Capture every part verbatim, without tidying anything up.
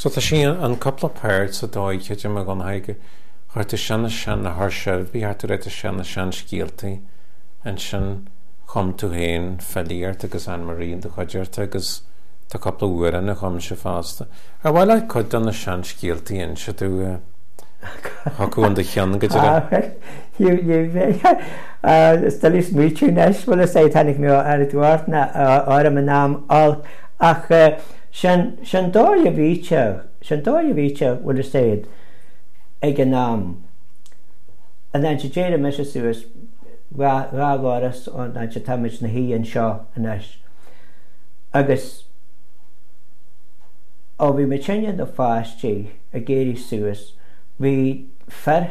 So tá sí an cúpla páirt sa dóigh creidim a Dhonncha chuir tú sin sin na háirseirbhí thart tú réit sin na seanscéaltaí ansin chum tú féin filíocht agus Anne-Marie do chuid agus tá cúpla amhrán a chum sé fosta. Ar mhaith leat cuid de na seanscéaltaí inse tú chucu an do cheann go dtí Is doiligh smaoitiú anois bhfuil a tháinig mé ar dúirt na áirm an am all ach sin sin dóigh a bhíte sin dóigh a bhíte bhfuil a fhios ag an am. An an déire me suas dhá dhoras ón áit atáimid ina shuí anseo anois. Agus ó bhí muid sinne na pháistí ag éirí suas, bhí fir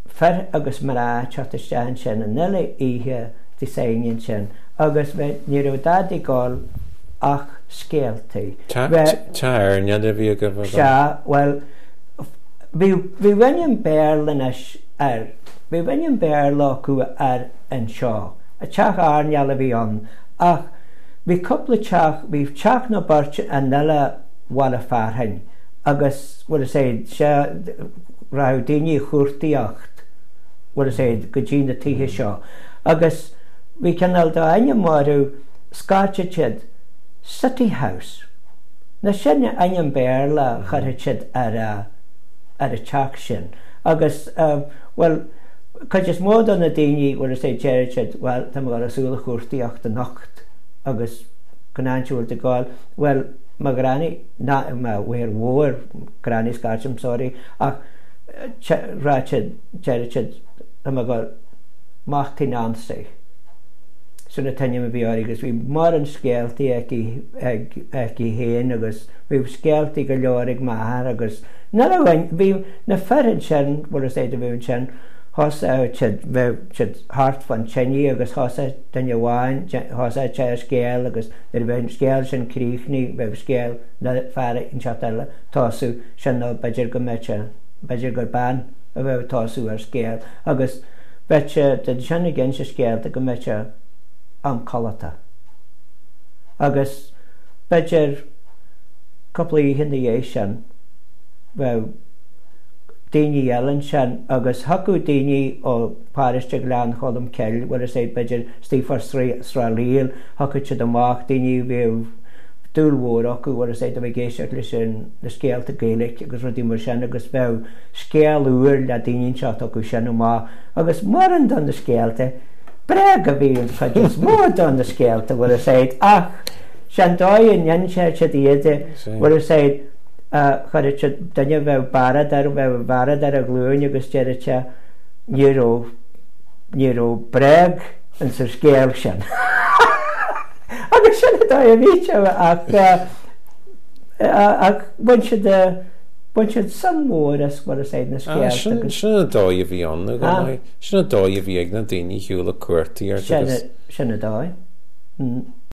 fir agus mná teacht isteach ansin an uile oíche Dé Sathairn ansin agus ní raibh dadaí ag gabháil ach scéaltaí. Teach airneáil a bhí agaibh Sea, bhuel bhí bhí ainm Béarla anois air. Bhí ainm Béarla acu air anseo. A teach airneáil a bhí ann ach bhí cúpla teach, bhí teach nó beirt an uile bhaile fearainn agus bhfuil a fhios a'd sé rachadh daoine chuartaíocht bhfuil a fhios a'd go dtí na tithe seo agus bhí cineál d'ainm orthu scairteadh siad City House. Nó sin ainm Béarla a chuirfeadh siad ar a ar a teach sin agus bhuel cuid is mó de na daoine bhfuil a fhios a'd deireadh siad bhuel tá mé ag dul ar shiúl a chuartaíocht anocht agus cá háit a bhfuil tú ag gabháil bhuel mo ghranny ná mo mháthair mhór granny scairtim sorry ach rachadh siad deireadh siad tá mé ag gabháil amach tigh Nancy. Sin an t-ainm a bhí uirthi agus bhí mórán scéaltaí aici aici féin agus bhí scéaltaí go leor ag m'athair agus nuair a bhain bhí na fir ansin bhfuil a fhios a'd a bhí ansin thosaigh siad bheadh siad thart fán tine agus thosaigh duine amháin thosaigh sé ar scéal agus nuair a bheadh an scéal sin críochnaithe bheadh scéal na fear inteacht eile tosú sin nó b'fhéidir go mbeadh sé b'fhéidir gur bean a bheadh ag tosú ar scéal agus bheadh siad ansin ag inse scéalta go mbeadh sé am codlata. Agus b'fhéidir cúpla oíche ina dhiaidh sin bheadh daoine eile ansin agus thiocfadh daoine ó pharóiste Ghleann Cholm Cille, bhfuil a fhios a'd, b'fhéidir istigh fá Srath Liag, thiocfadh siad amach, daoine a bhíodh dúil mhór acu, bhfuil a fhios a'd, a bheith ag éisteacht leis na scéalta Gaeilge agus rudaí mar sin agus bheadh scéal úr le daoine inteacht acu sin amach agus mórán de na scéalta, bréag a bhí an chuid is mó de na scéalta, bhfuil a fhios a'd, ach sé'n dóigh a n-inseodh siad iad, bhfuil a fhios a'd, chuirfeadh siad, duine a bheadh bearad air, bheadh bearad ar a ghlúin agus deireadh sé, ní raibh, ní raibh bréag ins an scéal sin. Agus sin an dóigh a bhí sé ach, ach bhain siad, Bhain siad suim mhór as, bhfuil a fhios a'd, na scéalta agus. Sin an dóigh a bhí ann, a Dhonncha. Sin an dóigh a bhí ag na daoine shiúl ag cuartaíocht agus. Sin an dóigh.